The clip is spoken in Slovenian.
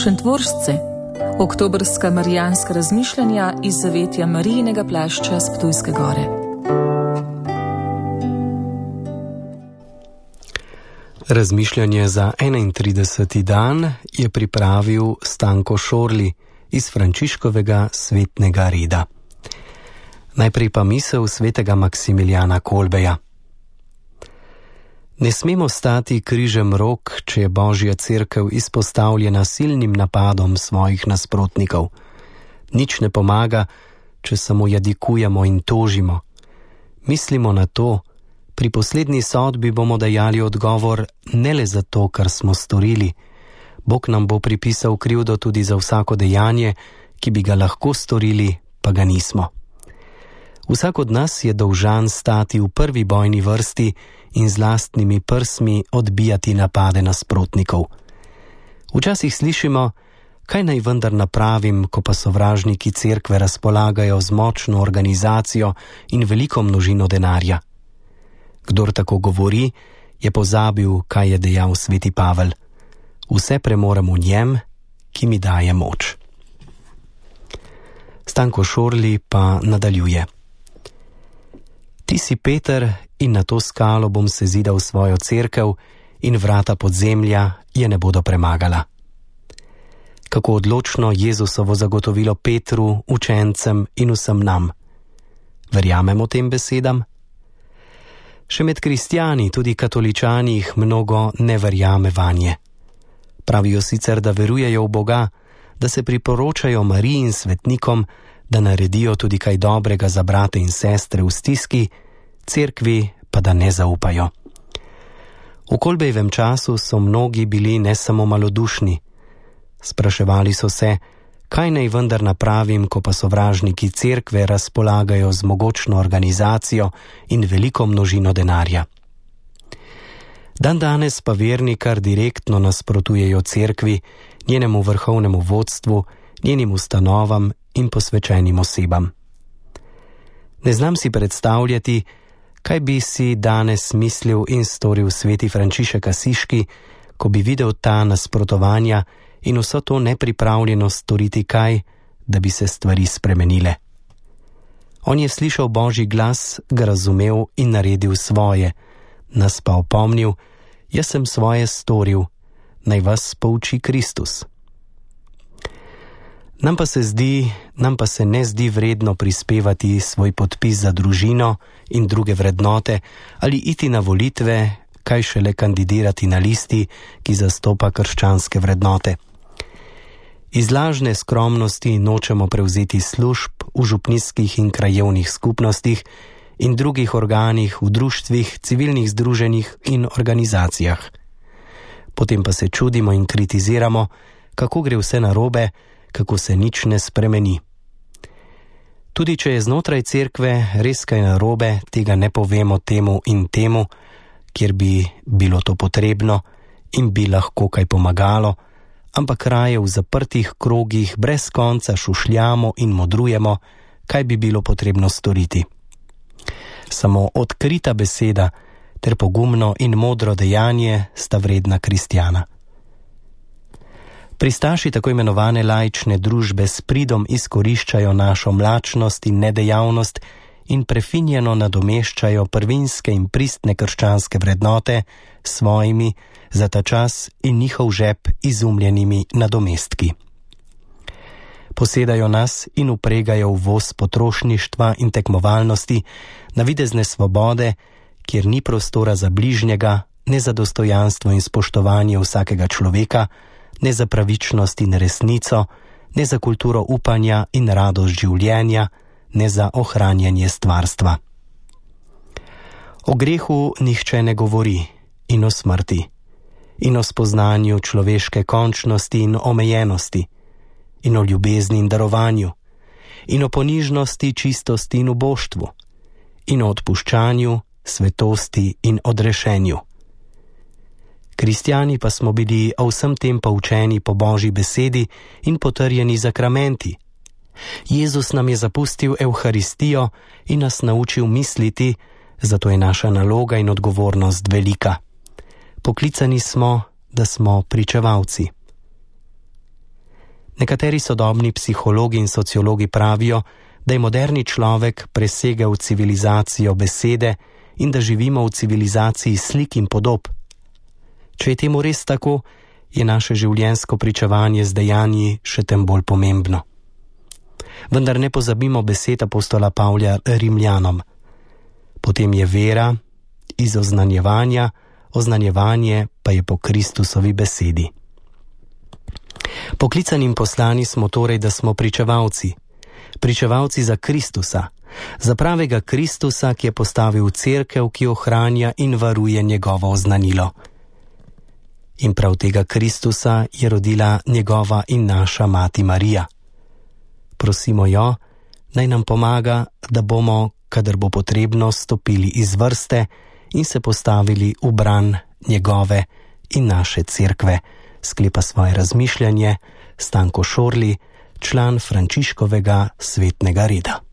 Šentvoržce, oktobrska marijanska razmišljanja iz zavetja Marijinega plašča s Ptujske gore. Razmišljanje za 31. dan je pripravil Stanko Šorli iz Frančiškovega svetnega reda. Najprej pa misel svetega Maksimilijana Kolbeja. Ne smemo stati križem rok, če je Božja cerkev izpostavljena silnim napadom svojih nasprotnikov. Nič ne pomaga, če samo jadikujemo in tožimo. Mislimo na to, pri poslednji sodbi bomo dajali odgovor ne le zato, kar smo storili. Bog nam bo pripisal krivdo tudi za vsako dejanje, ki bi ga lahko storili, pa ga nismo. Vsak od nas je dolžan stati v prvi bojni vrsti in z lastnimi prsmi odbijati napade nasprotnikov. Včasih slišimo, kaj naj vendar napravim, ko pa sovražniki cerkve razpolagajo z močno organizacijo in veliko množino denarja. Kdor tako govori, je pozabil, kaj je dejal sveti Pavel. Vse premorem v njem, ki mi daje moč. Stanko Šorli pa nadaljuje. Ti si Peter in na to skalo bom sezidal svojo cerkev in vrata podzemlja je ne bodo premagala. Kako odločno Jezusovo zagotovilo Petru, učencem in vsem nam. Verjamemo tem besedam? Še med kristjani, tudi katoličani, jih mnogo ne verjame vanje. Pravijo sicer, da verujejo v Boga, da se priporočajo Mariji in svetnikom, da naredijo tudi kaj dobrega za brate in sestre v stiski, cerkvi pa da ne zaupajo. V Kolbejevem času so mnogi bili ne samo malodušni. Spraševali so se, kaj naj vendar napravim, ko pa sovražniki cerkve razpolagajo z mogočno organizacijo in veliko množino denarja. Dandanes pa verni kar direktno nasprotujejo cerkvi, njenemu vrhovnemu vodstvu, njenim ustanovam in posvečenim osebam. Ne znam si predstavljati, kaj bi si danes mislil in storil sveti Frančišek Asiški, ko bi videl ta nasprotovanja in vso to nepripravljenost storiti kaj, da bi se stvari spremenile. On je slišal Božji glas, ga razumel in naredil svoje, nas pa opomnil, jaz sem svoje storil, naj vas pouči Kristus. Nam pa se ne zdi vredno prispevati svoj podpis za družino in druge vrednote ali iti na volitve, kaj šele kandidirati na listi, ki zastopa krščanske vrednote. Iz lažne skromnosti nočemo prevzeti služb v župnijskih in krajevnih skupnostih in drugih organih, v društvih, civilnih združenjih in organizacijah. Potem pa se čudimo in kritiziramo, kako gre vse narobe, kako se nič ne spremeni. Tudi če je znotraj cerkve res kaj narobe, tega ne povemo temu in temu, kjer bi bilo to potrebno in bi lahko kaj pomagalo, ampak raje v zaprtih krogih brez konca šušljamo in modrujemo, kaj bi bilo potrebno storiti. Samo odkrita beseda ter pogumno in modro dejanje sta vredna kristjana. Pristaši tako imenovane laične družbe s pridom izkoriščajo našo mlačnost in nedejavnost in prefinjeno nadomeščajo prvinske in pristne krščanske vrednote s svojimi za ta čas in njihov žep izumljenimi nadomestki. Posedajo nas in upregajo v voz potrošništva in tekmovalnosti, navidezne svobode, kjer ni prostora za bližnjega, ne za dostojanstvo in spoštovanje vsakega človeka, ne za pravičnost in resnico, ne za kulturo upanja in radost življenja, ne za ohranjanje stvarstva. O grehu nihče ne govori in o smrti, in o spoznanju človeške končnosti in omejenosti, in o ljubezni in darovanju, in o ponižnosti, čistosti in uboštvu, in o odpuščanju, svetosti in odrešenju. Kristjani pa smo bili o vsem tem poučeni po Božji besedi in potrjeni zakramenti. Jezus nam je zapustil Evharistijo in nas naučil misliti, zato je naša naloga in odgovornost velika. Poklicani smo, da smo pričevalci. Nekateri sodobni psihologi in sociologi pravijo, da je moderni človek presegel civilizacijo besede in da živimo v civilizaciji slik in podob. Če je temu res tako, je naše življenjsko pričevanje z dejanji še tem bolj pomembno. Vendar ne pozabimo besed apostola Pavla Rimljanom. Potem je vera iz oznanjevanja, oznanjevanje pa je po Kristusovi besedi. Poklicani in poslani smo torej, da smo pričevalci. Pričevalci za Kristusa, za pravega Kristusa, ki je postavil cerkev, ki ohranja in varuje njegovo oznanilo. In prav tega Kristusa je rodila njegova in naša mati Marija. Prosimo jo, naj nam pomaga, da bomo, kadar bo potrebno, stopili iz vrste in se postavili v bran njegove in naše cerkve, sklepa svoje razmišljanje Stanko Šorli, član Frančiškovega svetnega reda.